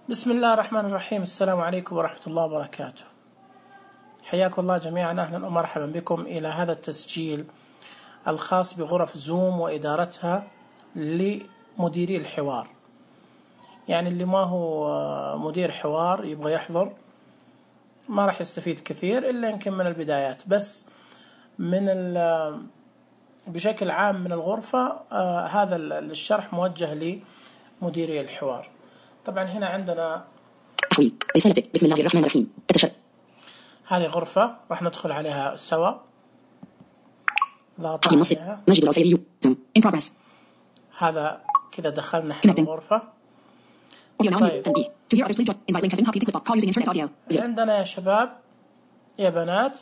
بسم الله الرحمن الرحيم. السلام عليكم ورحمة الله وبركاته. حياكم الله جميعا، أهلا ومرحبا بكم إلى هذا التسجيل الخاص بغرف زوم وإدارتها لمديري الحوار. يعني اللي ما هو مدير حوار يبغى يحضر ما راح يستفيد كثير إلا يمكن من البدايات، بس بشكل عام من الغرفة هذا الشرح موجه لمديري الحوار. طبعا هنا عندنا رسالتك بسم الله الرحمن الرحيم. هذه غرفة راح ندخل عليها سوا. ضغط عليها. مجد العسيري in progress. هذا كذا دخلنا احنا الغرفة. طيب. عندنا يا شباب يا بنات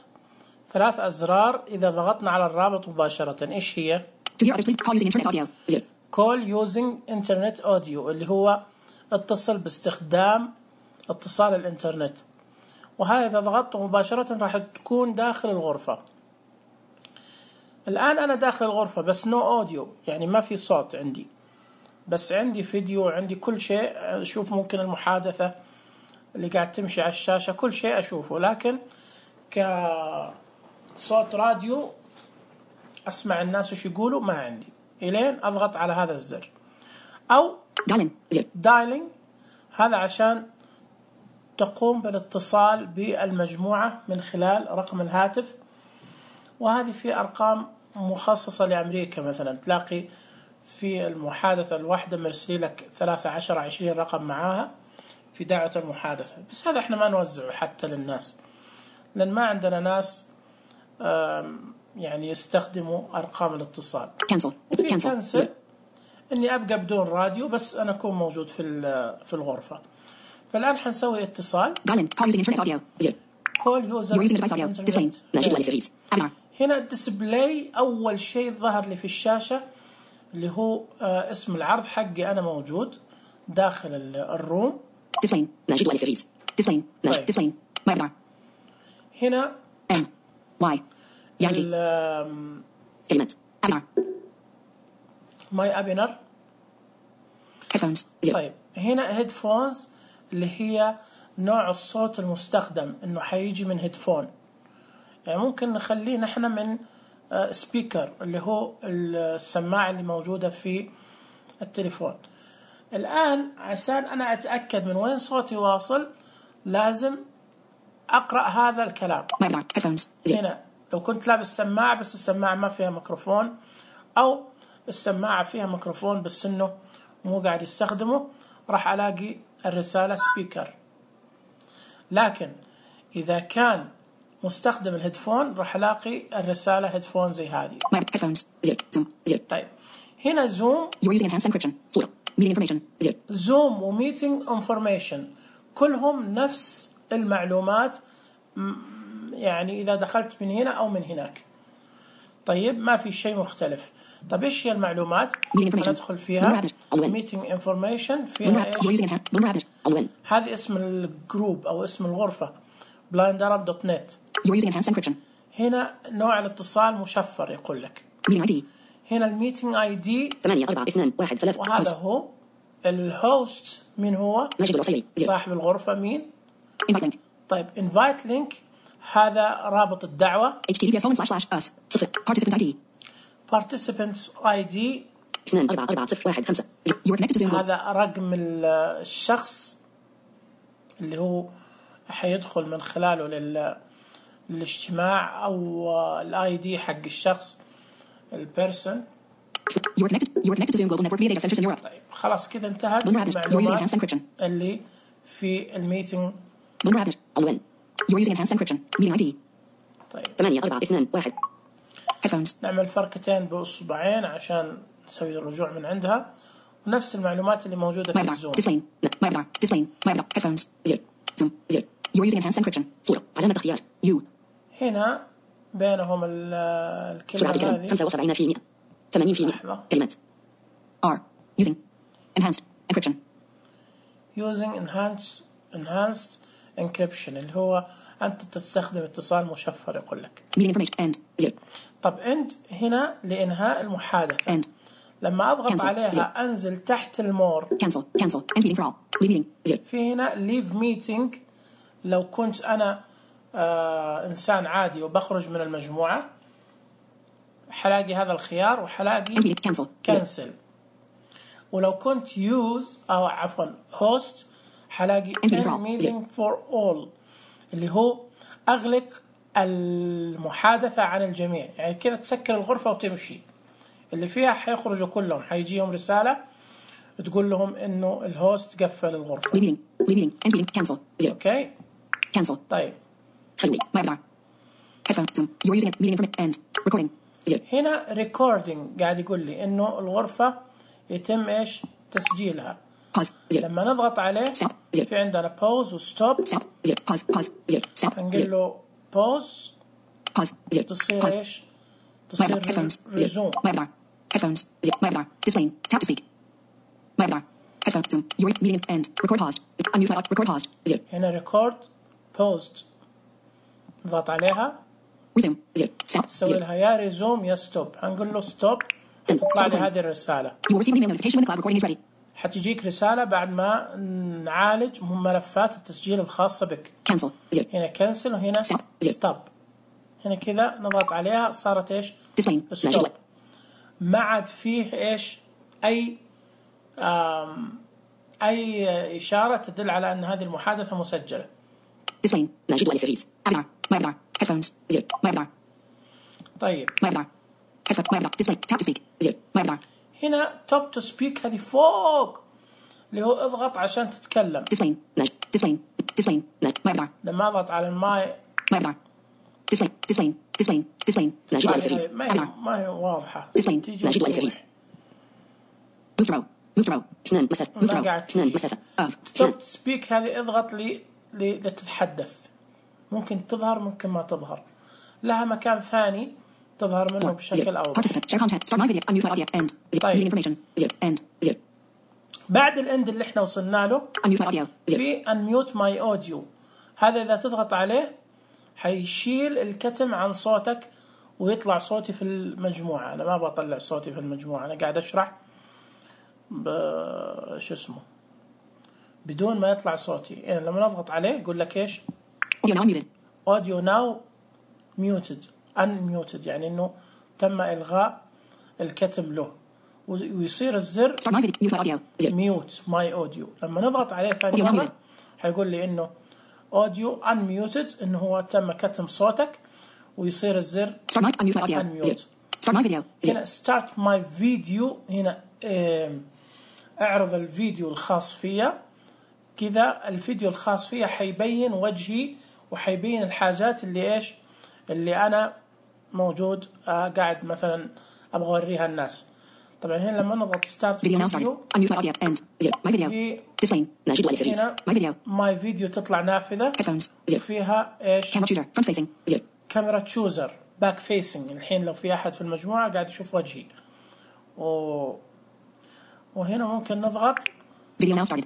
3 أزرار إذا ضغطنا على الرابط مباشرة. إيش هي؟ call using internet audio اللي هو اتصل باستخدام اتصال الانترنت، وهذا إذا ضغطت مباشرة راح تكون داخل الغرفة. الآن أنا داخل الغرفة بس نو أوديو، يعني ما في صوت عندي، بس عندي فيديو، عندي كل شيء. أشوف ممكن المحادثة اللي قاعد تمشي على الشاشة، كل شيء أشوفه، لكن كصوت راديو أسمع الناس وش يقولوا ما عندي، إلين أضغط على هذا الزر أو دايلينج. هذا عشان تقوم بالاتصال بالمجموعة من خلال رقم الهاتف، وهذه في أرقام مخصصة لأمريكا. مثلا تلاقي في المحادثة الواحدة مرسلي لك 13-20 رقم معاها في دعوة المحادثة، بس هذا احنا ما نوزعه حتى للناس لأن ما عندنا ناس يعني يستخدموا أرقام الاتصال. وفي كنسل إني أبقى بدون راديو بس أنا أكون موجود في الغرفة. فالآن حنسوي اتصال. call user هنا الديسبلاي أول شيء ظهر لي في الشاشة اللي هو اسم العرض حقي أنا موجود داخل الروم. هنا ماي أبينر. طيب هنا هيدفونز اللي هي نوع الصوت المستخدم، انه حيجي من هيدفون، يعني ممكن نخليه نحن من سبيكر اللي هو السماعة اللي موجودة في التليفون. الآن عشان أنا أتأكد من وين صوتي واصل لازم أقرأ هذا الكلام. هنا لو كنت لابس سماعة بس السماعة ما فيها ميكروفون، أو السماعة فيها ميكروفون بس إنه مو قاعد يستخدمه، راح ألاقي الرسالة سبيكر. لكن إذا كان مستخدم الهيدفون راح ألاقي الرسالة هيدفون زي هذه. طيب هنا زوم زوم وميتينج انفورميشن كلهم نفس المعلومات، يعني إذا دخلت من هنا أو من هناك. طيب ما في شيء مختلف. طب إيش هي المعلومات؟ ندخل فيها meeting information. فيها إيش؟ هذه اسم الجروب أو اسم الغرفة blindarab.net. هنا نوع الاتصال مشفر يقول لك. هنا الميتينج اي دي 842135، وهذا هو الهوست. مين هو؟ صاحب الغرفة مين؟ طيب invite link هذا رابط الدعوة. participants ID 244015. هذا رقم الشخص اللي هو حيدخل من خلاله للاجتماع، أو الاي دي حق الشخص البيرسون. طيب خلاص كذا انتهت المعلومات اللي في الميتنج. طيب 8421. نعمل فرقتين بأصبعين عشان نسوي الرجوع من عندها، ونفس المعلومات اللي موجودة في الزوم. علامة اختيار هنا بينهم الكلمة هذه 75%، 80% كلمة R using enhanced encryption. enhanced encryption اللي هو أنت تستخدم اتصال مشفر يقول لك. طب end هنا لإنهاء المحادثة. لما أضغط عليها أنزل تحت المور. cancel end meeting for all. Leave meeting. Zero. في هنا leave meeting. لو كنت أنا إنسان عادي وبخرج من المجموعة حلاقي هذا الخيار وحلاقي End meeting. Cancel. cancel. ولو كنت use أو عفوا host حلاقي End meeting for all. end meeting for all اللي هو أغلق المحادثة عن الجميع. يعني كده تسكر الغرفة وتمشي. اللي فيها حيخرجوا كلهم، حيجيهم رسالة تقول لهم إنه الهوست قفل الغرفة. Leave meeting. Leave meeting. End meeting. Cancel. Zero. أوكي. Cancel. طيب. خلوي. webinar. Headphone. Zoom. You are using it. Meeting information. End. Recording. Zero. هنا recording قاعد يقول لي إنه الغرفة يتم إيش تسجيلها. Pause. Zero. لما نضغط عليه Stop. Zero. في عندنا pause و stop. Stop. Zero. Pause. Pause. Zero. Stop. هنقول Zero. له pause Pause. Zero. تصير Pause. إيش؟ تصير Webinar. Headphones. resume. Zero. Webinar. Headphones. Zero. Webinar. Displaying. Tap to speak. Webinar. Headphone. Zoom. Your meeting end. Record paused. Unmute file. Record paused. Zero. هنا record paused. نضغط عليها Resume. Zero. Stop. نسوي Zero. لها يا ريزوم يا ستوب. هنقول له ستوب تطلع لي هذه الرسالة. You will receive an email notification when the cloud recording is ready. حتجيك رسالة بعد ما نعالج ملفات التسجيل الخاصة بك. Cancel. Zero. هنا كنسل وهنا Stop. Zero. ستوب. هنا كذا نضغط عليها صارت ايش؟ Displaying. ستوب. ما عاد فيه ايش؟ اي إشارة تدل على ان هذه المحادثة مسجلة. Displaying. ناجد وعلي سيريز. Webinar. Webinar. Headphones. Zero. Webinar. طيب. Webinar. Headphone. Webinar. Display. Tap to speak. Zero. Webinar. هنا توب تو سبيك هذه فوق اللي هو اضغط عشان تتكلم. Displaying. ناجد. Displaying. Displaying. ناجد. Webinar. لما اضغط على الماي Webinar. Display. Displaying. Displaying. Displaying. ناجد وعلي سيريز. ما هي واضحة. Displaying. تيجي ناجد وعلي سيريز. Move throw. Move throw. اثنان مسافة. Move throw. اثنان مسافة. Off. توب سبيك هذه اضغط لتتحدث. ممكن تظهر ممكن ما تظهر. لها مكان ثاني تظهر منه بشكل أوضح. Participant. Share content. Start my video. Unmute my audio. End. Zero. طيب. Meeting information. Zero. End. Zero. بعد الاند اللي احنا وصلنا له Unmute my audio. Zero. في unmute my audio. هذا إذا تضغط عليه حيشيل الكتم عن صوتك ويطلع صوتي في المجموعة. أنا ما بطلع صوتي في المجموعة، أنا قاعد أشرح شو اسمه بدون ما يطلع صوتي. يعني لما نضغط عليه يقول لك إيش؟ Audio now muted. audio now muted unmuted، يعني إنه تم إلغاء الكتم له، ويصير الزر Start my video. Mute my audio. Zero. mute my audio. لما نضغط عليه ثاني Audio مرة unmuted. حيقول لي إنه audio unmuted، إنه هو تم كتم صوتك، ويصير الزر Start my unmute my audio. unmute. Zero. Start my video. Zero. هنا start my video. هنا اعرض الفيديو الخاص فيا. كذا الفيديو الخاص فيا حيبين وجهي وحيبين الحاجات اللي ايش اللي انا موجود قاعد مثلا ابغى اوريها الناس. طبعا هنا لما نضغط start Video now started. video Unmute my audio. End. Zero. My video. في Displaying. ناجد وعلي سيريز. هنا My video. my video تطلع نافذة Headphones. Zero. وفيها ايش Camera chooser. Front facing. Zero. كاميرا تشوزر باك فيسنج. الحين لو في احد في المجموعة قاعد يشوف وجهي وهنا ممكن نضغط. Video now started.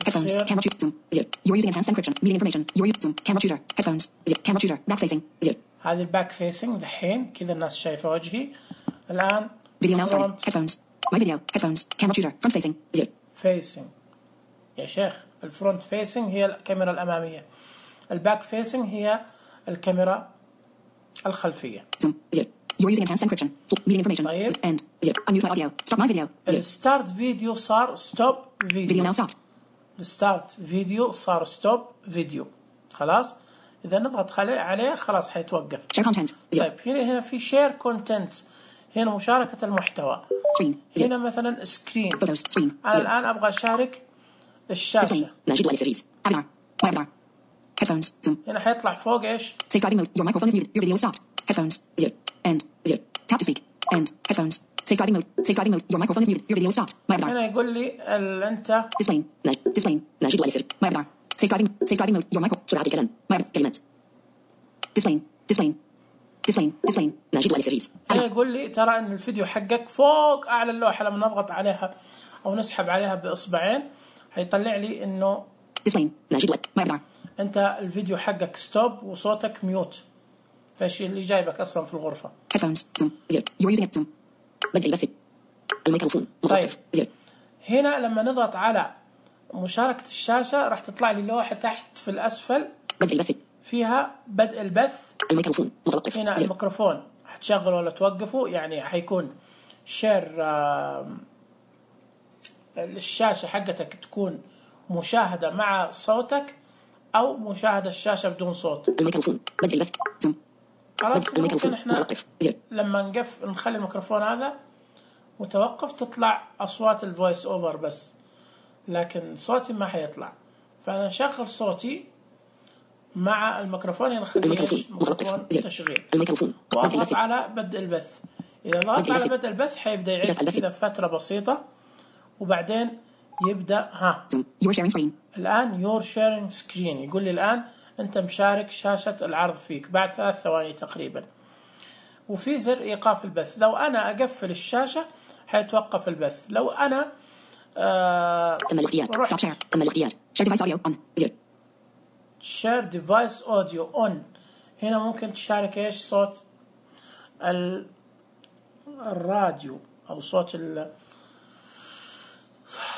Headphones. Zero. Camera chooser. Zoom. Zero. You're using enhanced encryption. Meeting information. You're using Zoom. Camera chooser. Headphones. Zero. Camera chooser. Back facing. Zero. هذه الباك فيسنج الحين كذا الناس شايفة وجهي. الآن Video now started. front Headphones. My video. Headphones. Camera chooser. Front facing. Zero. فيسنج. يا شيخ الفرونت فيسنج هي الكاميرا الأمامية، الباك فيسنج هي الكاميرا الخلفية. Zoom. Zero. You're using enhanced encryption. Meeting information. طيب. End. Zero. Unmute my audio. Stop my video. Zero. الستارت فيديو صار ستوب Video فيديو. now stopped. الستارت فيديو صار ستوب فيديو. خلاص إذا نضغط عليه خلاص حيتوقف. Share content. Zero. طيب هنا في شير كونتنت. هنا مشاركة المحتوى. Screen. Zero. هنا مثلا سكرين. Photos. Screen. أنا Zero. الآن أبغى أشارك الشاشة. Displaying. ناجد وعلي سيريز. Webinar. Webinar. Headphones. Zoom. هنا حيطلع فوق إيش؟ Safeguarding mode. Your microphone is muted. Your video is stopped. Headphones. Zero. End. Zero. Tap to speak. End. Headphones. Safeguarding mode. Safeguarding mode. Your microphone is muted. Your video is stopped. Webinar. هنا يقول لي أنت Displaying. Displaying. ناجد وعلي سيريز. Webinar. Safeguarding mode. Your microphone. سرعة الكلام. كلمات. Displaying. Displaying. ناجد وعلي سيريز. هنا يقول لي ترى أن الفيديو حقك فوق أعلى اللوحة. لما نضغط عليها أو نسحب عليها بإصبعين هيطلع لي إنه Displaying. ناجد وعلي. Webinar. أنت الفيديو حقك ستوب وصوتك ميوت. فايش اللي جايبك أصلا في الغرفة. Headphones. Zoom. Zero. You're using it. Zoom. بدء البث. الميكروفون. طيب. Zero. هنا لما نضغط على مشاركة الشاشة راح تطلع لي لوحة تحت في الأسفل بدء البث. فيها بدء البث. الميكروفون متوقف. هنا الميكروفون حتشغل ولا توقفه، يعني حيكون شير الشاشة حقتك تكون مشاهدة مع صوتك أو مشاهدة الشاشة بدون صوت. الميكروفون بدء البث. زوم. خلاص ممكن احنا متوقف. زر. لما نخلي الميكروفون هذا متوقف تطلع أصوات الفويس أوفر بس، لكن صوتي ما حيطلع. فأنا نشغل صوتي مع الميكروفون، هنا نخليه ميكروفون تشغيل، وأضغط على بدء البث. إذا ضغطت على بدء البث حيبدأ يعد كذا فترة بسيطة، وبعدين يبدأ الآن you're sharing screen، يقول لي الآن أنت مشارك شاشة العرض فيك بعد 3 ثواني تقريبا. وفي زر إيقاف البث، لو أنا أقفل الشاشة حيتوقف البث. لو أنا تم الاختيار. Stop share. تم الاختيار. Share device audio on. زر. Share device audio on. هنا ممكن تشارك إيش؟ صوت الراديو أو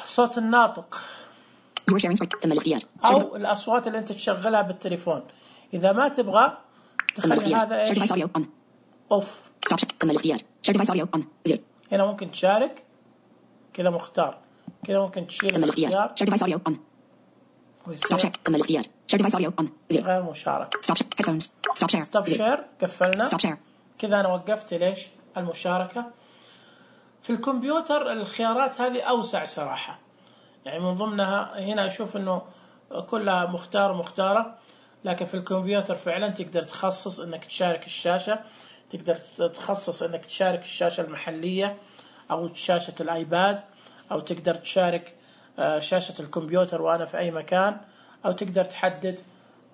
صوت الناطق. تم الاختيار. أو الأصوات اللي أنت تشغلها بالتليفون. إذا ما تبغى تخلي هذا إيش؟ أوف. تم الاختيار. Share device audio on. زر. هنا ممكن تشارك كذا مختار، كذا ممكن تشيل تم الاختيار. Share device audio on. تم الاختيار. Share device audio on. زر. غير مشاركة. Headphones. Stop share. قفلنا. Stop share. كذا أنا وقفت ليش المشاركة. في الكمبيوتر الخيارات هذه أوسع صراحة، يعني من ضمنها هنا أشوف إنه كلها مختارة، لكن في الكمبيوتر فعلا تقدر تخصص إنك تشارك الشاشة، تقدر تخصص إنك تشارك الشاشة المحلية أو شاشة الآيباد، أو تقدر تشارك شاشة الكمبيوتر وأنا في أي مكان، أو تقدر تحدد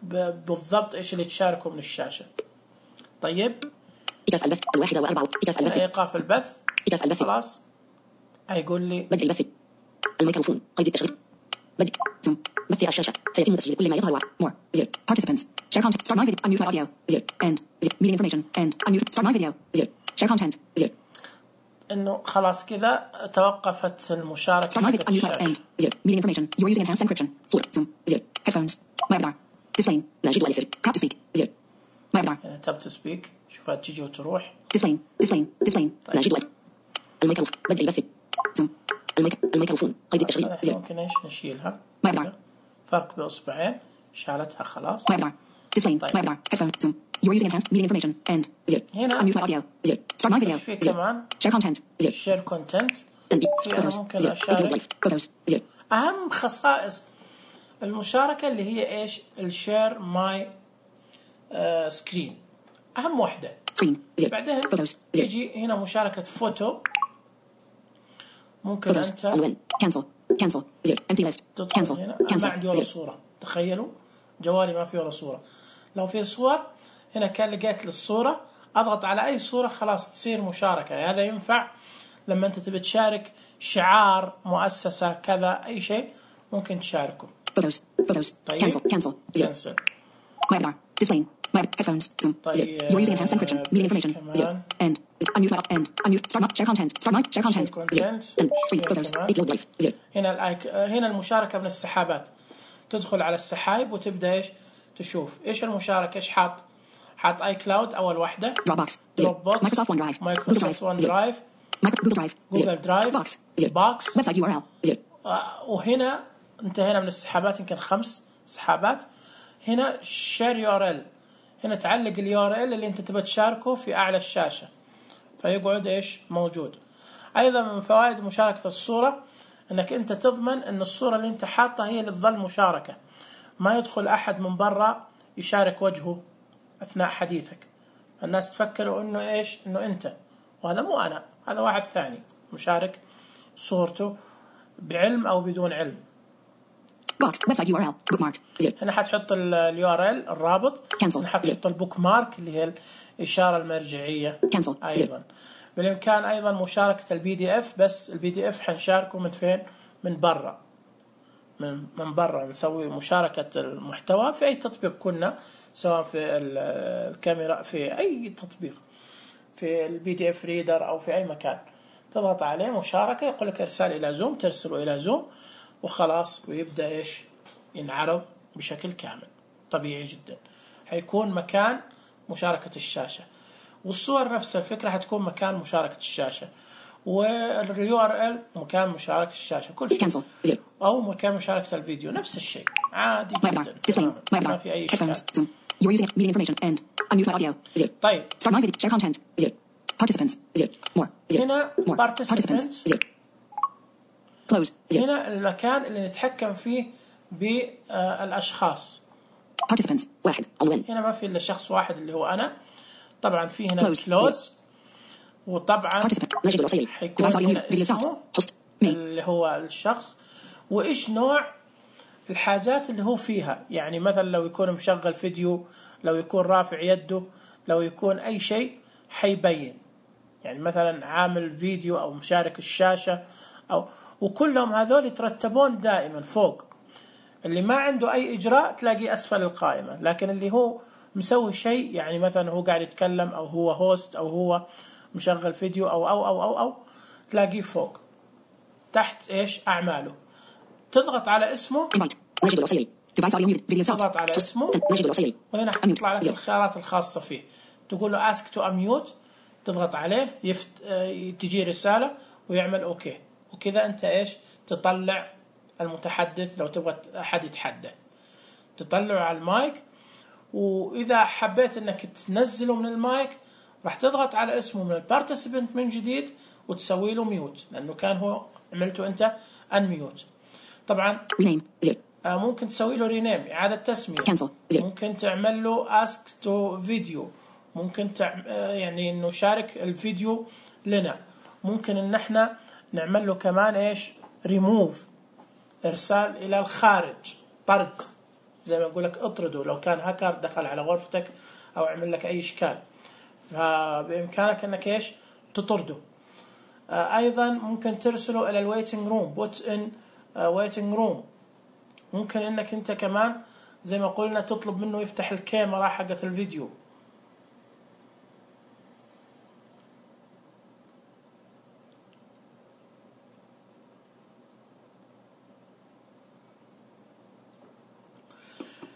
بالضبط إيش اللي تشاركه من الشاشة. طيب إيقاف البث 1:04. إيقاف البث. خلاص هيقول لي بدء البث. الميكروفون قيد التشغيل. بدء زوم. بث الشاشة سيتم تسجيل كل ما يظهر. More. زر. Participants. Share content. Start my video. Unmute my audio. زر. End. زر. Meeting information. End. Unmute. Start my video. زر. Share content. زر. إنه خلاص كذا توقفت المشاركة. Start my video. Unmute my end. زر. Meeting information. You're using enhanced encryption. Full. Zoom. زر. Headphones. webinar. Display. ناجد واليسر. Tap to speak. زر. webinar. يعني tap to speak. شوفها تيجي وتروح. Display. ناجد واليسر. الميكروفون بدء البث. زوم. الميكروفون قيد التشغيل. زر. ممكن إيش نشيلها. webinar. فرق بإصبعين شالتها خلاص. webinar. Display. webinar. Headphones. Zoom. You're using enhanced meeting information. End. زر. هنا Unmute my audio. زر. Start my video. في كمان Share content. زر. share content. تنبيه. فيها ممكن أشارك. Photos. زر. أهم خصائص المشاركة اللي هي إيش؟ الشير ماي سكرين أهم واحدة. Screen. زر. بعدين تيجي هنا مشاركة فوتو. ممكن أنت عنوان. cancel. زر. empty list. تدخل هنا. ما عندي ولا صورة، تخيلوا جوالي ما فيه ولا صورة. لو في صور هنا كان لقيت للصورة أضغط على أي صورة خلاص تصير مشاركة. هذا ينفع لما أنت تبي تشارك شعار مؤسسة كذا أي شيء ممكن تشاركه. Photos. طيب. cancel. cancel. webinar. Display. headphones. Zoom. طيب. You're using enhanced encryption. Meeting information. زر. End. Unmute. Start. Share content. Share content. Screen. Photos. Upload live. زر. هنا المشاركة من السحابات. تدخل على السحائب وتبدأ إيش تشوف إيش المشاركة. إيش حاط اي كلاود أول واحدة. Dropbox. Microsoft OneDrive. Google Drive. Box. Website URL. زر. وهنا انتهينا من السحابات، يمكن 5 سحابات. هنا share URL. هنا تعلق URL اللي انت تبى تشاركه في اعلى الشاشة فيقعد ايش موجود. ايضا من فوائد مشاركة الصورة انك انت تضمن ان الصورة اللي انت حاطها هي اللي تظل مشاركة، ما يدخل احد من برا يشارك وجهه اثناء حديثك. الناس تفكروا انه ايش، انه انت، وهذا مو انا، هذا واحد ثاني مشارك صورته بعلم او بدون علم. Box. Website URL. Bookmark. هنا حتحط URL الرابط. هنا حتحط البوك مارك اللي هي الإشارة المرجعية. أيضا بالإمكان أيضا مشاركة PDF، بس PDF حنشاركه من فين؟ من برا. من برا نسوي مشاركة المحتوى في أي تطبيق كنا، سواء في الكاميرا، في أي تطبيق، في PDF ريدر أو في أي مكان تضغط عليه مشاركة، يقول لك إرسال إلى زوم، ترسله إلى زوم وخلاص، ويبدأ إيش ينعرض بشكل كامل طبيعي جدا. حيكون مكان مشاركة الشاشة، والصور نفس الفكرة حتكون مكان مشاركة الشاشة، والURL مكان مشاركة الشاشة، كل شيء، أو مكان مشاركة الفيديو نفس الشيء عادي جدا، ما في أي إشكال. You're using meeting information and unmute my audio. 0. طيب Start my video. Share content. 0. Participants. 0. More. 0. هنا More. participants. 0. Close. 0. هنا المكان اللي نتحكم فيه بالأشخاص. Participants. 1. عنوان. هنا ما في إلا شخص واحد اللي هو أنا. طبعا في هنا close. وطبعا حيكون هنا اسمه اللي هو الشخص، وإيش نوع الحاجات اللي هو فيها. يعني مثلا لو يكون مشغل فيديو، لو يكون رافع يده، لو يكون أي شيء حيبين. يعني مثلا عامل فيديو أو مشارك الشاشة أو، وكلهم هذول يترتبون دائما فوق. اللي ما عنده أي إجراء تلاقيه أسفل القائمة، لكن اللي هو مسوي شيء، يعني مثلا هو قاعد يتكلم أو هو هوست أو هو مشغل فيديو أو تلاقيه فوق تحت إيش أعماله. تضغط على اسمه، تضغط على اسمه، وهنا حتطلع لك الخيارات الخاصة فيه. تقول له ask to unmute، تضغط عليه تجي رسالة ويعمل أوكي. وكذا أنت إيش تطلع المتحدث. لو تبغى أحد يتحدث تطلعه على المايك، وإذا حبيت أنك تنزله من المايك راح تضغط على اسمه من البارتيسيبنت من جديد وتسوي له ميوت، لأنه كان هو عملته أنت أنميوت. طبعا ممكن تسوي له رينيم، إعادة تسمية. ممكن تعمل له ask to video، ممكن يعني إنه شارك الفيديو لنا. ممكن إن إحنا نعمل له كمان إيش remove، إرسال إلى الخارج، طرد، زي ما أقول لك اطرده لو كان هاكر دخل على غرفتك أو عمل لك أي إشكال، فبإمكانك إنك إيش تطرده. أيضا ممكن ترسله إلى الويتنج روم، put in waiting room. ممكن إنك أنت كمان زي ما قلنا تطلب منه يفتح الكاميرا حقة الفيديو.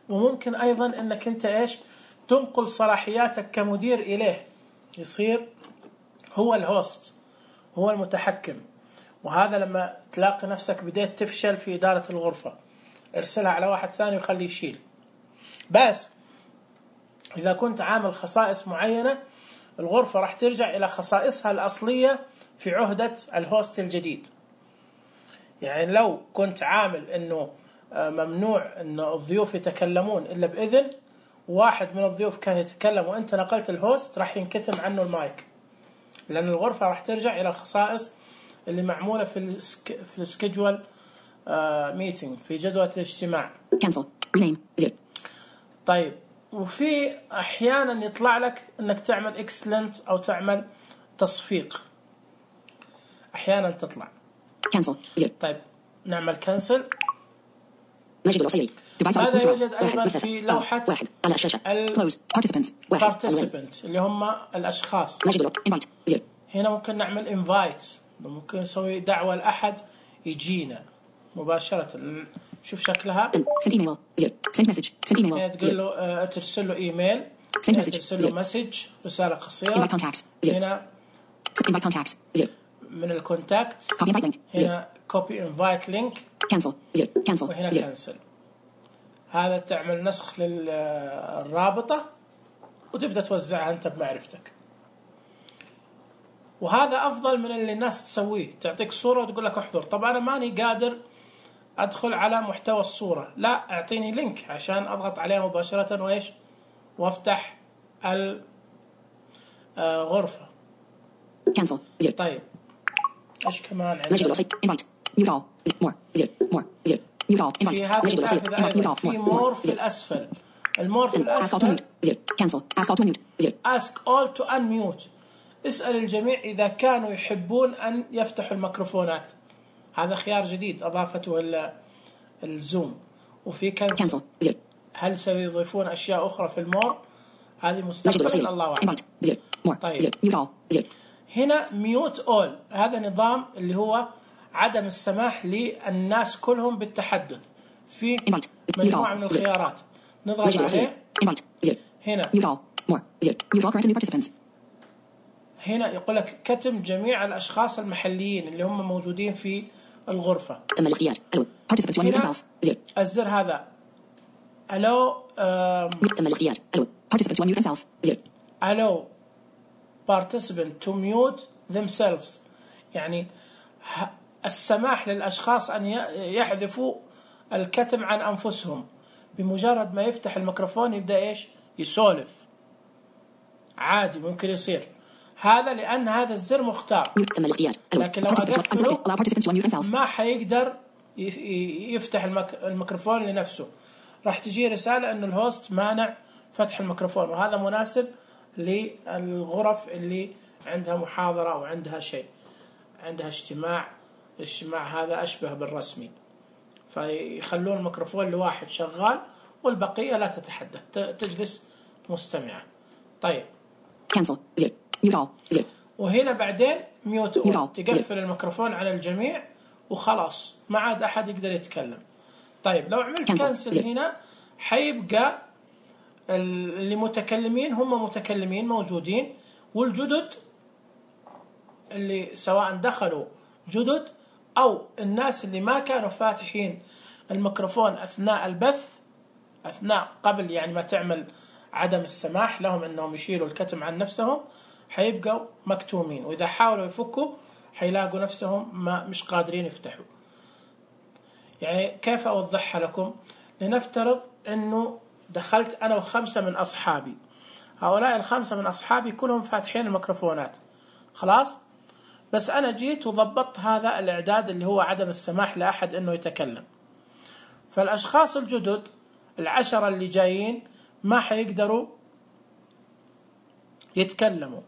وممكن أيضا إنك أنت إيش تنقل صلاحياتك كمدير إليه، يصير هو الهوست، هو المتحكم. وهذا لما تلاقي نفسك بديت تفشل في إدارة الغرفة، ارسلها على واحد ثاني وخليه يشيل. بس إذا كنت عامل خصائص معينة، الغرفة راح ترجع إلى خصائصها الأصلية في عهدة الهوست الجديد. يعني لو كنت عامل إنه ممنوع إن الضيوف يتكلمون إلا بإذن، واحد من الضيوف كان يتكلم وأنت نقلت الهوست، راح ينكتم عنه المايك، لأن الغرفة راح ترجع إلى الخصائص اللي معمولة في السكيدجول ميتينج، في جدولة الاجتماع. طيب، وفي أحيانا يطلع لك إنك تعمل اكسلنت أو تعمل تصفيق، أحيانا تطلع. طيب نعمل كنسل. هذا يوجد أيضا في لوحة participant اللي هم الأشخاص. هنا ممكن نعمل invite، ممكن نسوي دعوة لأحد يجينا مباشرة. شوف شكلها، تقول له ترسل له إيميل، ترسل له مسج، رسالة قصيرة. هنا من الكونتاكت، هنا copy invite link، وهنا cancel. هذا تعمل نسخ للرابطة وتبدأ توزعها أنت بمعرفتك. وهذا أفضل من اللي الناس تسويه، تعطيك صورة وتقول لك احضر. طبعا أنا ماني قادر أدخل على محتوى الصورة، لا أعطيني لينك عشان أضغط عليه مباشرة وإيش وافتح الغرفة. طيب إيش كمان عندنا؟ في هذا النافذة في مور في الأسفل. المور في الأسفل ask all to unmute، اسأل الجميع إذا كانوا يحبون أن يفتحوا الميكروفونات. هذا خيار جديد أضافته الزوم. وفي كنسل، هل سيضيفون أشياء أخرى في المور؟ هذه مستقبلا الله أعلم. طيب هنا ميوت أول، هذا نظام اللي هو عدم السماح للناس كلهم بالتحدث في Invite. مجموعة من الخيارات. نضغط Leisure. عليه Invite. 0. هنا. Mute all. More. 0. Mute all current and new participants. هنا يقول لك كتم جميع الأشخاص المحليين اللي هم موجودين في الغرفة. تم الاختيار. Allow. Participants to unmute هنا themselves. 0. الزر هذا allow تم الاختيار. Allow. Participants to unmute themselves. 0. allow participant to mute themselves، يعني السماح للأشخاص أن يحذفوا الكتم عن أنفسهم. بمجرد ما يفتح الميكروفون يبدأ إيش؟ يسولف عادي، ممكن يصير هذا لأن هذا الزر مختار. تم الاختيار. لكن لو أقفله ما حيقدر يفتح الميكروفون لنفسه، راح تجي رسالة أنه الهوست مانع فتح الميكروفون، وهذا مناسب للغرف اللي عندها محاضرة أو عندها شيء، عندها اجتماع هذا أشبه بالرسمي، فيخلون الميكروفون لواحد شغال والبقية لا تتحدث، تجلس مستمعة. طيب cancel. 0. mute all. 0. وهنا بعدين ميوت أول، تقفل الميكروفون على الجميع وخلاص ما عاد أحد يقدر يتكلم. طيب لو عملت كانسل هنا حيبقى اللي متكلمين هم متكلمين موجودين، والجدد اللي سواء دخلوا جدد أو الناس اللي ما كانوا فاتحين الميكروفون أثناء البث، أثناء قبل يعني ما تعمل عدم السماح لهم أنهم يشيلوا الكتم عن نفسهم، حيبقوا مكتومين، وإذا حاولوا يفكوا حيلاقوا نفسهم مش قادرين يفتحوا. يعني كيف أوضحها لكم؟ لنفترض أنه دخلت أنا و5 من أصحابي، هؤلاء ال5 من أصحابي كلهم فاتحين الميكروفونات خلاص، بس أنا جيت وضبطت هذا الإعداد اللي هو عدم السماح لأحد أنه يتكلم. فالأشخاص الجدد 10 اللي جايين ما حيقدروا يتكلموا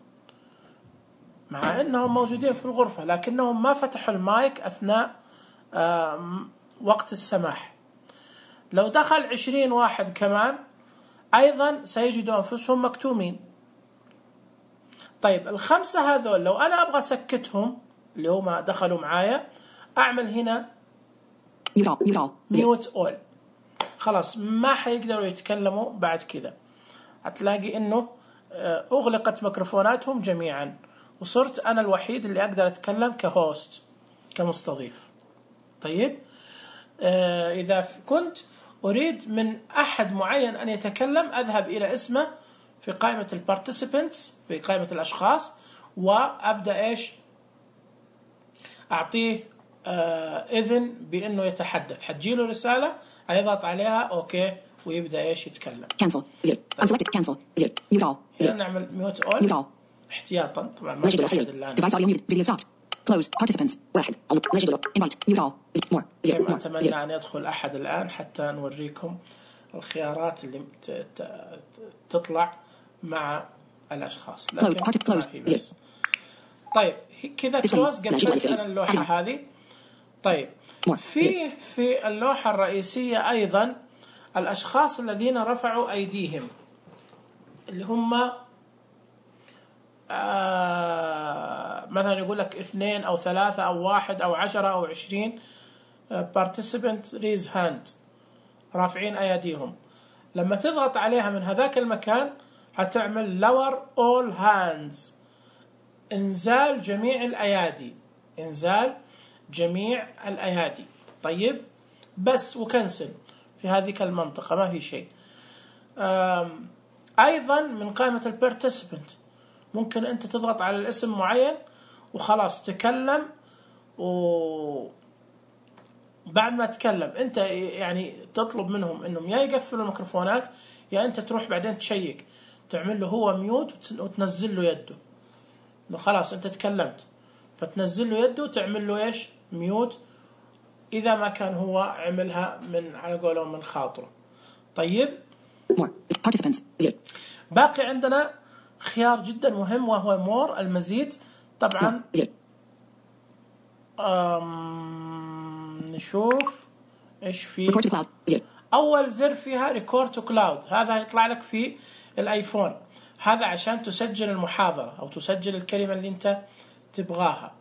مع أنهم موجودين في الغرفة، لكنهم ما فتحوا المايك أثناء وقت السماح. لو دخل 20 واحد كمان أيضا سيجدوا أنفسهم مكتومين. طيب ال5 هذول لو أنا أبغى سكتهم اللي هم دخلوا معايا، أعمل هنا mute all، خلاص ما حيقدروا يتكلموا بعد كذا. هتلاقي إنه أغلقت ميكروفوناتهم جميعا، وصرت أنا الوحيد اللي أقدر أتكلم كهوست كمستضيف. طيب إذا كنت أريد من أحد معين أن يتكلم، أذهب إلى اسمه في قائمة البارتيسيبنتس في قائمة الأشخاص، وأبدأ إيش أعطيه إذن بأنه يتحدث. حتجيله رسالة هيضغط عليها أوكي ويبدأ إيش يتكلم. cancel. 0. unselected. cancel. 0. mute all. 0. نعمل mute all. mute all. احتياطا طبعا ما في أحد الآن. device audio muted. video stopped. close. participants 1. invite. mute all. more. 0. كما أتمنى أن يدخل أحد الآن حتى نوريكم الخيارات اللي تطلع مع الأشخاص. لكن ما في بس. طيب كذا كلوز قفلت أنا اللوحة هذه. طيب في اللوحة الرئيسية أيضا الأشخاص الذين رفعوا أيديهم اللي هم مثلا يقول لك 2 أو 3 أو 1 أو 10 أو 20 participant raise hand، رافعين أيديهم. لما تضغط عليها من هذاك المكان هتعمل lower all hands، إنزال جميع الأيادي، إنزال جميع الأيادي. طيب بس وكنسل في هذه المنطقة ما في شيء. أيضا من قائمة البارتيسيبنت ممكن أنت تضغط على الاسم معين وخلاص تكلم، وبعد ما تكلم أنت يعني تطلب منهم أنهم يا يقفلوا الميكروفونات يا أنت تروح بعدين تشيك تعمل له هو ميوت وتنزل له يده إنه خلاص أنت تكلمت، فتنزل له يده وتعمل له إيش ميوت إذا ما كان هو عملها من على قولهم من خاطره. طيب باقي عندنا خيار جدا مهم وهو مور المزيد. طبعا نشوف إيش في أول زر فيها ريكورد تو كلاود، هذا يطلع لك في الآيفون، هذا عشان تسجل المحاضرة أو تسجل الكلمة اللي أنت تبغاها.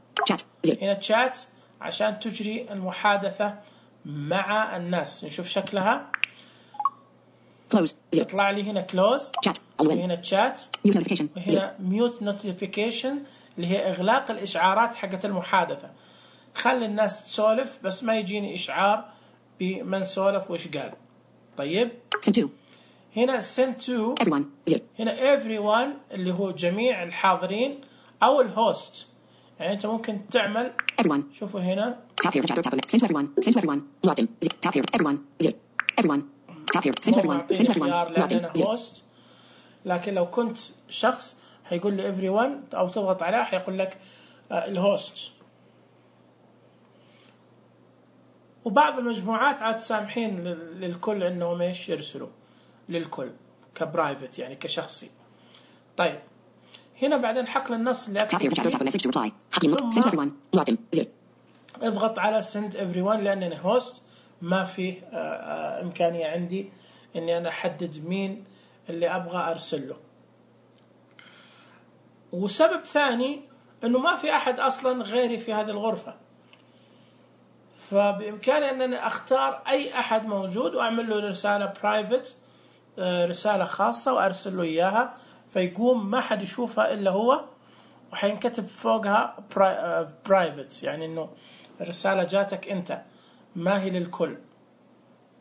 هنا تشات عشان تجري المحادثة مع الناس. نشوف شكلها. Close. 0. يطلع لي هنا close. Chat. وهنا chat. Mute notification. 0. وهنا mute notification اللي هي إغلاق الإشعارات حقت المحادثة. خلي الناس تسولف بس ما يجيني إشعار بمن سولف وإيش قال. طيب. Send to. هنا send to. Everyone. 0. هنا everyone اللي هو جميع الحاضرين أو الهوست. يعني أنت ممكن تعمل. Everyone. شوفوا هنا. Tap here to chat or tap on it. Send to everyone. Send to everyone. Locked in. 0. Tap here. Everyone. 0. Everyone. Tap here. Send to everyone. Send to everyone. Locked in. 0. host. لكن لو كنت شخص هيقول لي everyone أو تضغط عليه هيقول لك الهوست. وبعض المجموعات عاد سامحين للكل إنهم إيش يرسلوا للكل كبرايفت يعني كشخصي. طيب هنا بعدين حقل النص اللي Tap here to chat or tap a message to reply. Send to everyone. Locked in. 0. اضغط على send everyone لأنني هوست ما فيه إمكانية عندي إني أنا أحدد مين اللي أبغى أرسله. وسبب ثاني إنه ما في أحد أصلا غيري في هذه الغرفة، فبإمكاني أن أنا أختار أي أحد موجود وأعمل له رسالة private، رسالة خاصة وأرسل له إياها، فيقوم ما حد يشوفها إلا هو، وحينكتب فوقها private يعني إنه الرسالة جاتك أنت ما هي للكل.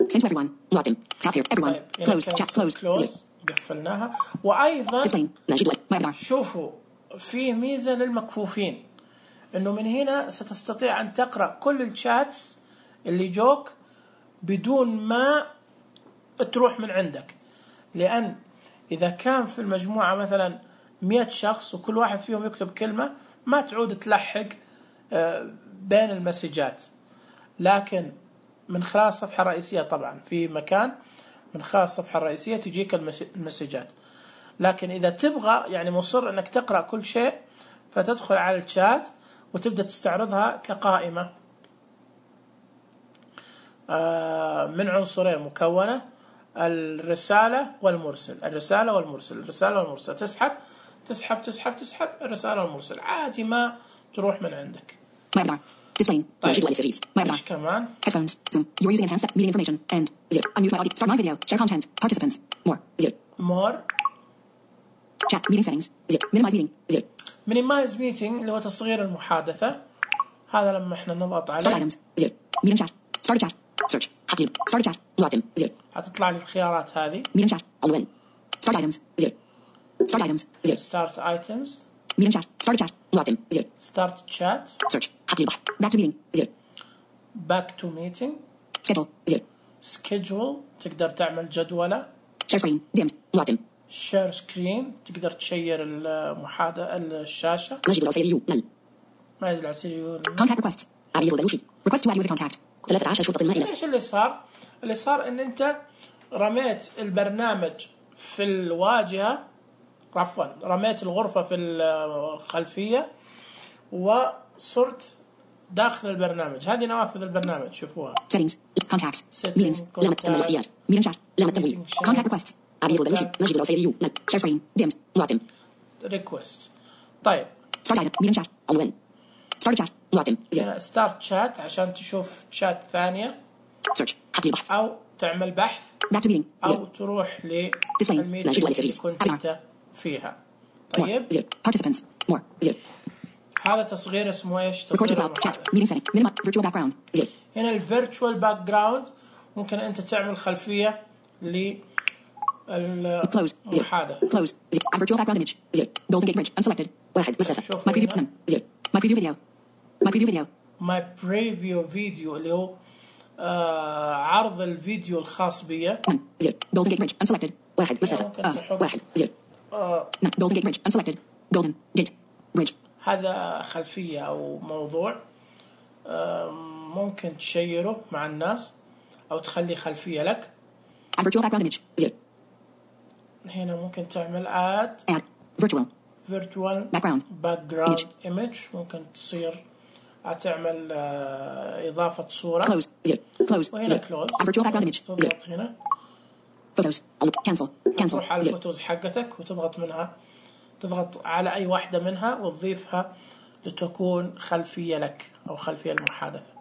Send to everyone. Locked in. Tap here. Everyone. طيب. Close. Chat closed. قفلناها. وأيضا Explain. شوفوا في ميزة للمكفوفين إنه من هنا ستستطيع أن تقرأ كل الشاتس اللي جوك بدون ما تروح من عندك، لأن إذا كان في المجموعة مثلا 100 شخص وكل واحد فيهم يكتب كلمة ما تعود تلحق بين المسجات، لكن من خلال الصفحة الرئيسية طبعا في مكان من خلال الصفحة الرئيسية تجيك المسجات. لكن إذا تبغى يعني مصر أنك تقرأ كل شيء فتدخل على الشات وتبدأ تستعرضها كقائمة من عنصرين مكونة، الرسالة والمرسل. الرسالة والمرسل. الرسالة والمرسل. تسحب الرسالة والمرسل عادي ما تروح من عندك. Webinar. Displaying. Series. Webinar. إيش كمان؟ Headphones. Zoom. You are using enhanced meeting information. And 0. Unmute my audio. Start my video. Share content. Participants. More. 0. More. Chat. Meeting settings. 0. Minimize meeting. 0. Minimize meeting اللي هو تصغير المحادثة. هذا لما احنا نضغط عليه. Start items. 0. Meeting chat. Start chat. Search. حقيب. Start chat. Locked in. 0. هتطلع لي الخيارات هذه. Meeting chat. عنوان. Start items. 0. Start items. 0. Start items. Meeting chat. Start chat. Locked in. 0. Start chat. Search. حقيب. Back to meeting. 0. Back to meeting. Schedule. 0. Schedule. تقدر تعمل جدولة. Share screen. Dimmed. Locked in. Share screen. تقدر تشير الشاشة. ماجد العسيري. نل. ماجد العسيري. Contact requests. أبي البلوشي. Request to add you as a contact. 13 شرطة مائلة. ايش اللي صار؟ اللي صار ان انت رميت البرنامج في الواجهة، عفوا رميت الغرفة في الخلفية وصرت داخل البرنامج. هذه نوافذ البرنامج شوفوها. Settings. Contacts. Meetings. لام التم الاختيار. Meeting chat. لام التمويل. Contact requests. أبي البلوشي. ماجد العسيري. نل. Share screen. Dimmed. Locked in. Request. طيب. Start item. Meeting chat. عنوان. Start chat. Locked in. هنا start chat عشان تشوف شات ثانية. Search. حقل بحث. أو تعمل بحث. Back to meeting. أو تروح للميتنج اللي كنت أنت فيها. طيب. More. Participants. More. 0. هذا تصغير اسمه إيش؟ Record to تصغير cloud. Chat. Meeting setting. Minimize. Virtual background. 0. هنا الفيرتشوال باك جراوند ممكن أنت تعمل خلفية Close. 0. للمحادثة. Close. 0. Add virtual background image. 0. Golden Gate Bridge. Unselected. 1. مسافة. My preview. None. 0. My preview video. My preview video. My preview video اللي هو عرض الفيديو الخاص بي. None. 0. Golden Gate Bridge. Unselected. 1. مسافة. 1. 0. None. Golden Gate Bridge. Unselected. Golden Gate Bridge. هذا خلفية أو موضوع ممكن تشيره مع الناس أو تخلي خلفية لك. Add virtual background image. 0. هنا ممكن تعمل Add virtual background image. ممكن تصير تعمل إضافة صورة. Close. 0. Close. وهنا close. Add virtual background image. 0. تضغط هنا. Photos. Cancel. تروح على الفوتوز حقتك وتضغط منها، تضغط على أي واحدة منها وتضيفها لتكون خلفية لك أو خلفية المحادثة.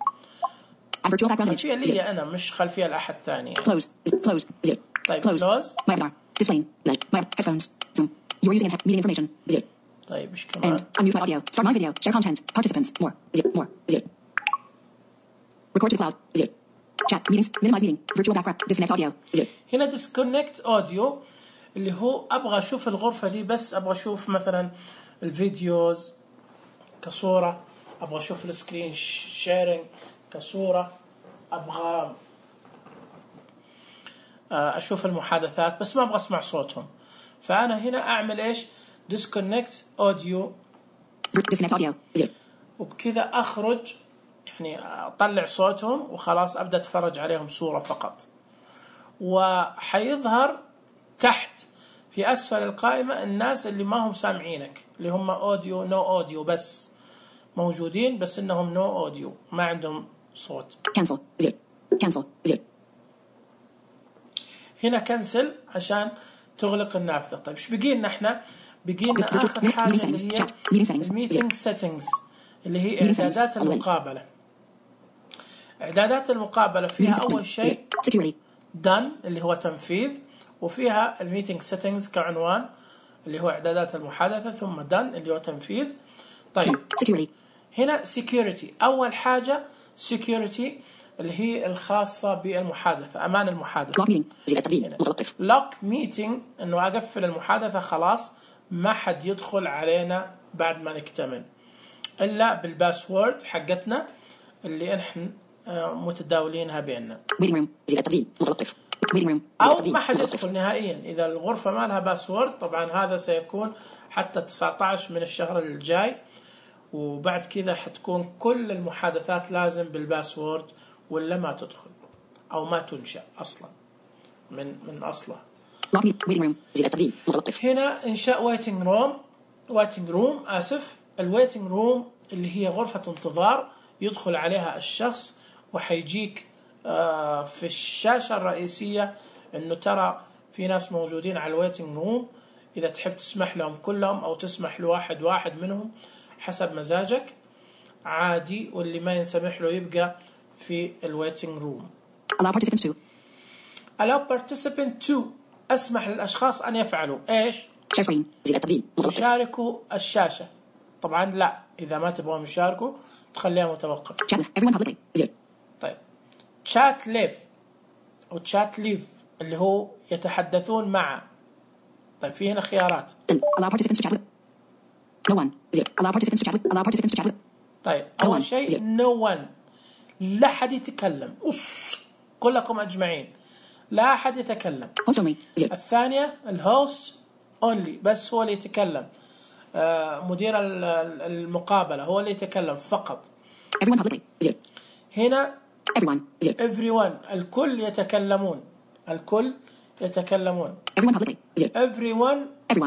Add virtual background image. خلفية لي أنا مش خلفية لأحد ثاني يعني. Close. Close. Zero. طيب Close. close. My avatar. Displaying. My headphones. Zoom. You are using meeting information. Zero. طيب إيش كمان؟ And unmute my audio. Start my video. Share content. Participants. More. Zero. More. Zero. Record to the cloud. Zero. Chat. Meetings. Minimize meeting. Virtual background. Disconnect audio. Zero. هنا disconnect audio اللي هو أبغى أشوف الغرفة دي بس أبغى أشوف مثلا الفيديوز كصورة، أبغى أشوف السكرين شيرينج كصورة، أبغى أشوف المحادثات بس ما أبغى أسمع صوتهم. فأنا هنا أعمل إيش؟ disconnect audio. Disconnect audio. Zero. وبكذا أخرج يعني أطلع صوتهم وخلاص أبدأ أتفرج عليهم صورة فقط. وحيظهر تحت في أسفل القائمة الناس اللي ما هم سامعينك اللي هم أوديو نو أوديو بس موجودين بس إنهم نو أوديو ما عندهم صوت. Cancel. Zero. Cancel. Zero. هنا كنسل عشان تغلق النافذة. طيب إيش بقينا إحنا؟ بقينا آخر حاجة اللي هي الميتينج سيتنجز اللي هي إعدادات المقابلة. إعدادات المقابلة فيها أول شيء done اللي هو تنفيذ، وفيها الميتينج سيتنجز كعنوان اللي هو إعدادات المحادثة، ثم done اللي هو تنفيذ. طيب هنا security أول حاجة security اللي هي الخاصة بالمحادثة، أمان المحادثة. lock meeting إنه أقفل المحادثة خلاص ما حد يدخل علينا بعد ما نكتمل إلا بالباسورد حقتنا اللي إحنا متداولينها بيننا. أو ما حد يدخل نهائيا إذا الغرفة ما لها باسورد. طبعا هذا سيكون حتى 19 من الشهر الجاي، وبعد كذا حتكون كل المحادثات لازم بالباسورد ولا ما تدخل أو ما تنشأ أصلا من أصلها. هنا إنشاء waiting room الويتنج روم اللي هي غرفة انتظار يدخل عليها الشخص وحيجيك في الشاشة الرئيسية إنه ترى في ناس موجودين على الويتنج روم، إذا تحب تسمح لهم كلهم أو تسمح لواحد منهم حسب مزاجك عادي، واللي ما ينسمح له يبقى في الويتنج روم. Allow participant to أسمح للأشخاص أن يفعلوا إيش؟ يشاركوا الشاشة. طبعا لا، إذا ما تبغون يشاركوا تخليها متوقف. طيب chat live أو chat live اللي هو يتحدثون مع. طيب في هنا خيارات. طيب أول شيء no one لا أحد يتكلم، كلكم أجمعين لا أحد يتكلم. الثانية الهوست only بس هو اللي يتكلم، مدير المقابلة هو اللي يتكلم فقط. هنا everyone الكل يتكلمون. everyone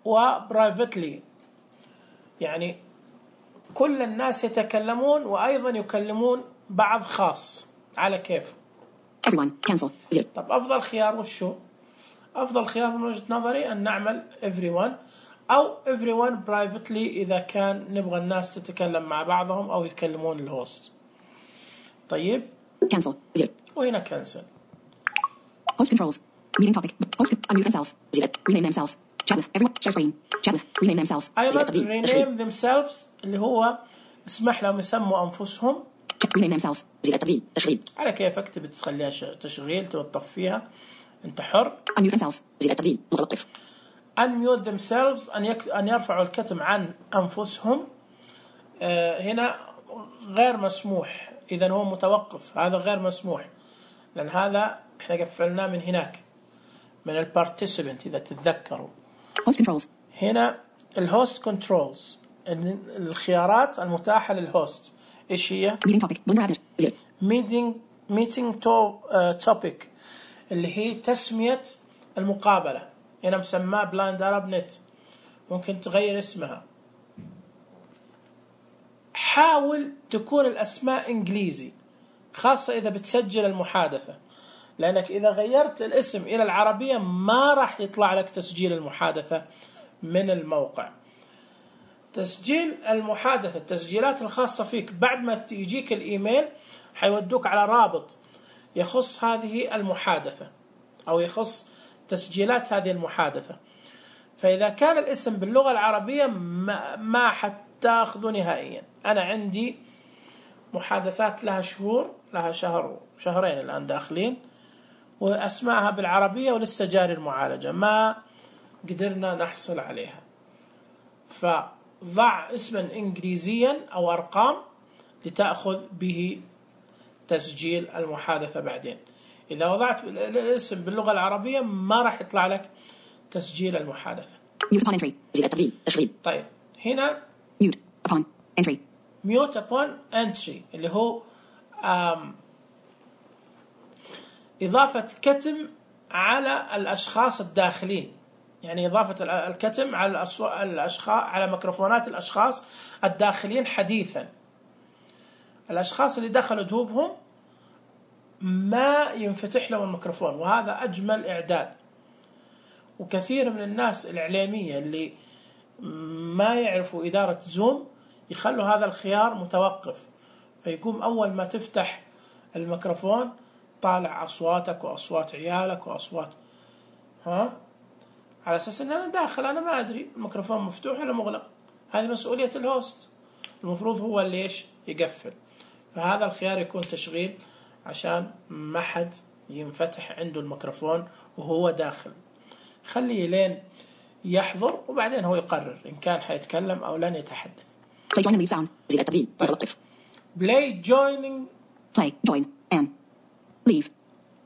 و privately يعني كل الناس يتكلمون وأيضا يكلمون بعض خاص على كيف. طب أفضل خيار وشو؟ أفضل خيار من وجهة نظري أن نعمل everyone أو everyone privately إذا كان نبغى الناس تتكلم مع بعضهم أو يتكلمون الهوست. طيب وهنا cancel. Host controls. Meeting topic. Host unmute themselves. Rename themselves. Chat with everyone. Share screen. Chat with. Rename themselves. أيضا rename themselves اللي هو اسمح لهم يسموا أنفسهم. Rename themselves. تشغيل. على كيفك تبي تخليها تشغيل تبي تطفيها أنت حر. Unmute themselves. متوقف. Unmute themselves أن يرفعوا الكتم عن أنفسهم. هنا غير مسموح، إذا هو متوقف، هذا غير مسموح لأن هذا إحنا قفلناه من هناك من البارتيسيبنت إذا تتذكروا. Host controls. هنا الهوست كنترولز الخيارات المتاحة للهوست إيش هي؟ meeting topic اللي هي تسمية المقابلة. هنا مسماه بلايند أرب نت، ممكن تغير اسمها. حاول تكون الأسماء إنجليزي خاصة إذا بتسجل المحادثة، لأنك إذا غيرت الاسم إلى العربية ما راح يطلع لك تسجيل المحادثة من الموقع. تسجيل المحادثة، التسجيلات الخاصة فيك بعد ما يجيك الإيميل حيودوك على رابط يخص هذه المحادثة أو يخص تسجيلات هذه المحادثة. فإذا كان الاسم باللغة العربية ما حتاخذه نهائيا. أنا عندي محادثات لها شهور، لها شهر شهرين الآن داخلين، وأسمائها بالعربية ولسه جاري المعالجة، ما قدرنا نحصل عليها. فضع اسما إنجليزيا أو أرقام لتأخذ به تسجيل المحادثة بعدين. إذا وضعت الاسم باللغة العربية ما راح يطلع لك تسجيل المحادثة. Mute upon entry. زر التبديل تشغيل. طيب هنا Mute upon entry. mute upon entry اللي هو إضافة كتم على الأشخاص الداخلين، يعني إضافة الكتم على الأشخاص على ميكروفونات الأشخاص الداخلين حديثا. الأشخاص اللي دخلوا دوبهم ما ينفتح لهم الميكروفون، وهذا أجمل إعداد. وكثير من الناس الإعلامية اللي ما يعرفوا إدارة زوم يخلوا هذا الخيار متوقف، فيقوم أول ما تفتح الميكروفون طالع أصواتك وأصوات عيالك وأصوات على أساس أن أنا داخل، أنا ما أدري الميكروفون مفتوح ولا مغلق. هذه مسؤولية الهوست، المفروض هو اللي يقفل. فهذا الخيار يكون تشغيل عشان ما حد ينفتح عنده الميكروفون وهو داخل. خليه لين يحضر وبعدين هو يقرر إن كان حيتكلم أو لن يتحدث. Play join and leave sound. زر التبديل متوقف. Play joining. Play join and leave.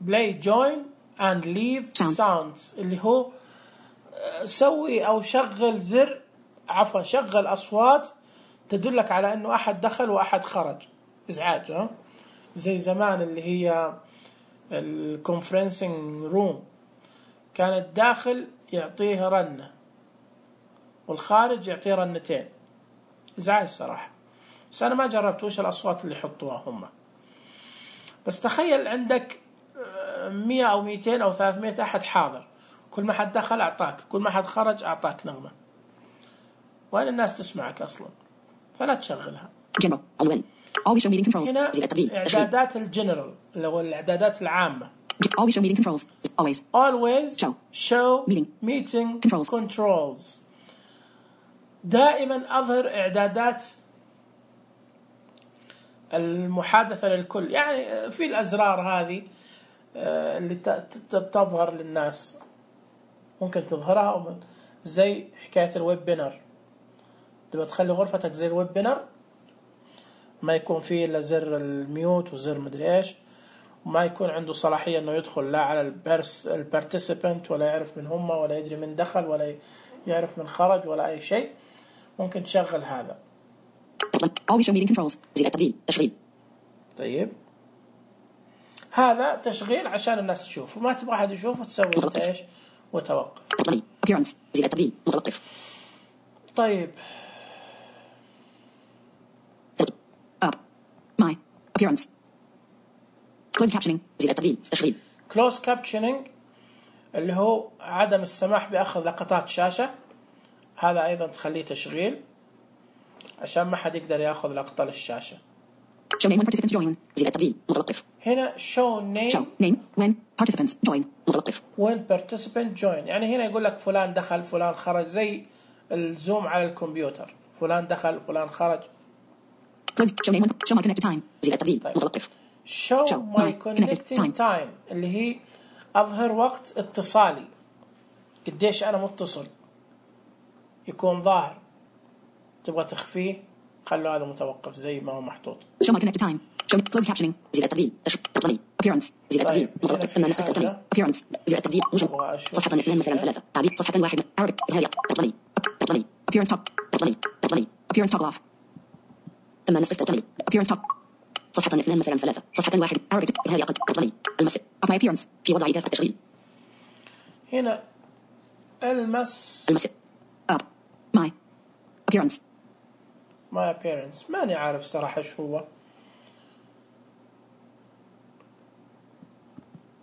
Play join and leave sounds اللي هو سوي أو شغل زر، عفوا شغل أصوات تدلك على أنه أحد دخل وأحد خرج. إزعاج زي زمان اللي هي الكونفرنسينج روم، كان الداخل يعطيه رنة والخارج يعطيه رنتين. إزعاج صراحة، بس أنا ما جربت وش الأصوات اللي يحطوها هم. بس تخيل عندك 100 أو 200 أو 300 أحد حاضر، كل ما حد دخل أعطاك، كل ما حد خرج أعطاك نغمة، وين الناس تسمعك أصلا؟ فلا تشغلها. General عنوان. Always show meeting controls. هنا زر التبديل إعدادات الجنرال اللي هو الإعدادات العامة. Always show meeting controls. Always show meeting controls. دائما أظهر إعدادات المحادثة للكل، يعني في الأزرار هذه اللي تظهر للناس ممكن تظهرها، زي حكاية الويب بينر. تبغى تخلي غرفتك زي الويب بينر، ما يكون فيه إلا زر الميوت وزر مدري إيش، وما يكون عنده صلاحية إنه يدخل لا على البارتيسيبنت ولا يعرف من هم ولا يدري من دخل ولا يعرف من خرج ولا أي شيء. ممكن تشغل هذا. Always show meeting controls. زر التبديل تشغيل. طيب هذا تشغيل عشان الناس تشوف، وما تبغى أحد يشوف وتسوي أنت إيش وتوقف. Appearance. زر التبديل متوقف. طيب Up. My appearance. Closed captioning. زر التبديل تشغيل. Close captioning اللي هو عدم السماح بأخذ لقطات شاشة، هذا أيضا تخليه تشغيل عشان ما حد يقدر يأخذ لقطة للشاشة. Show name when participants join. زر التبديل متوقف. هنا show name when participants join متوقف. when participant join، يعني هنا يقول لك فلان دخل فلان خرج، زي الزوم على الكمبيوتر، فلان دخل فلان خرج. Show name when show my connected time. زر التبديل متوقف. show my connecting time اللي هي أظهر وقت اتصالي، قديش أنا متصل يكون ظاهر. تبغى تخفيه خلوا هذا متوقف زي ما هو محطوط. Show my connected time. Show closed captioning. زر التبديل تطلبي. Appearance. زر التبديل متوقف. ثم نسبة تطلبي. Appearance. زر التبديل موجود. صفحة 2 مثلا 3. تعديل صفحة 1 Arabic إظهارية تطلبي. Appearance top. تطلبي. Appearance toggle off. ثم نسبة تطلبي. Appearance top. صفحة 2 مثلا 3. صفحة 1 Arabic إظهارية تطلبي. المس. Up my appearance. في وضع إيقاف التشغيل. هنا المس. Up. My appearance. My appearance ماني عارف صراحة إيش هو.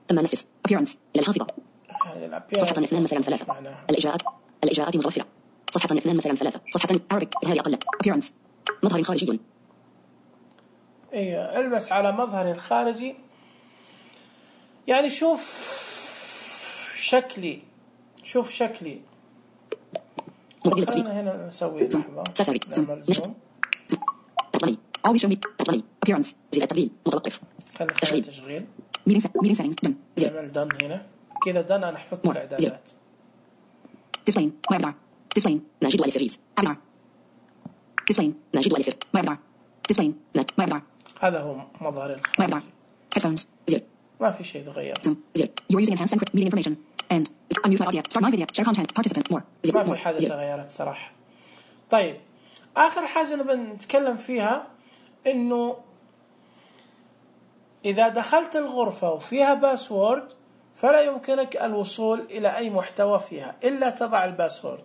ثم نسبة appearance إلى الحافظة. صفحة 2 مثلا 3. الإجراءات متوفرة. صفحة 2 مثلا 3 صفحة Arabic إظهار أقل appearance مظهر خارجي. ايوه البس على مظهر الخارجي، يعني شوف شكلي خلينا هنا نسوي لحظة نعمل زوم. تطلعي always show me تطلعي appearance زر التبديل متوقف. خلينا تشغيل meeting settings done نعمل done هنا كذا done. أنا حفظت الإعدادات. display webinar display ناجد وآل سيريز webinar display ناجد وآل سير webinar display webinar. هذا هو مظهر الخارجي. headphones زر ما في شيء تغير. زر you're using enhanced encrypt meeting information and unmute my audio start my video share content participant more زر ما في حاجة تغيرت صراحة. طيب آخر حاجة نبي نتكلم فيها إنه إذا دخلت الغرفة وفيها باسورد فلا يمكنك الوصول إلى أي محتوى فيها إلا تضع الباسورد.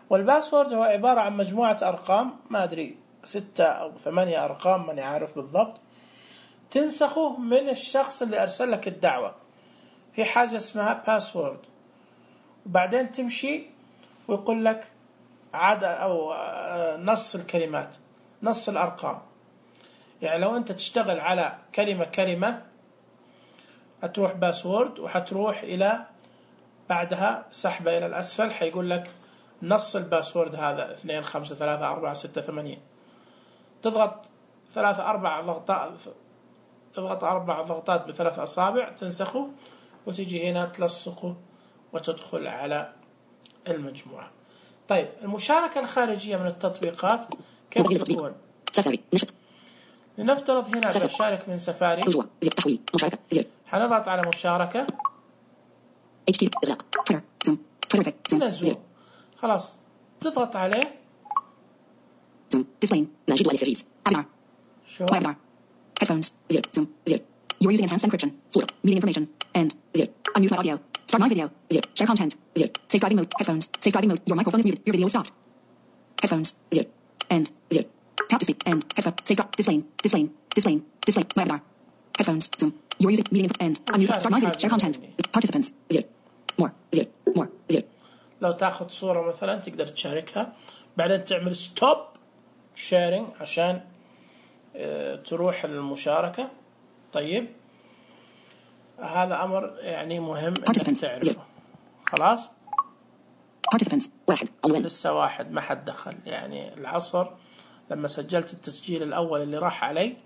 والباسورد هو عبارة عن مجموعة أرقام، ما أدري 6 أو 8 أرقام ماني عارف بالضبط، تنسخه من الشخص اللي أرسل لك الدعوة في حاجة اسمها باسورد، وبعدين تمشي ويقول لك عدد أو نص الكلمات نص الأرقام. يعني لو أنت تشتغل على كلمة هتروح باسورد وحتروح إلى بعدها سحبة إلى الأسفل حيقول لك نص الباسورد هذا 2 5 3 4 6 8. تضغط 4 ضغطات ب3 أصابع تنسخه وتجي هنا تلصقه وتدخل على المجموعة. طيب المشاركة الخارجية من التطبيقات كيف تكون؟ سفاري نشط. لنفترض هنا بشارك من سفاري. تحويل مشاركة زر. حنضغط على مشاركة. HT إغلاق تويتر زوم تويتر هنا زوم خلاص تضغط عليه. زوم ديسبلاي ناجد وآل سيريز webinar شو webinar headphones زر زوم زر you're using enhanced encryption folder meeting information and زر unmute my audio start my video زر share content زر safe driving mode headphones safe driving mode your microphone is muted your video is stopped headphones زر and زر tap to speak and headphone safe display webinar headphones zoom you're using meeting and unmute start my video share content participants زر more زر. لو تاخذ صورة مثلا تقدر تشاركها بعدين تعمل ستوب شيرنج عشان تروح المشاركة. طيب هذا أمر يعني مهم إنك تعرفه. خلاص participants واحد عنوان لسه واحد ما حد دخل. يعني العصر لما سجلت التسجيل الأول اللي راح علي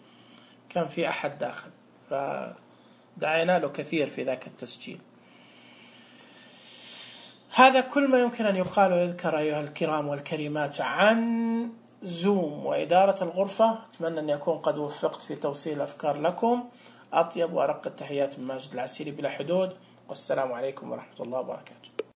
كان في أحد داخل فدعينا له كثير في ذاك التسجيل. هذا كل ما يمكن أن يقال ويذكر أيها الكرام والكريمات عن زوم وإدارة الغرفة. أتمنى أن يكون قد وفقت في توصيل الأفكار لكم. أطيب وأرق التحيات من ماجد العسيري بلا حدود، والسلام عليكم ورحمة الله وبركاته.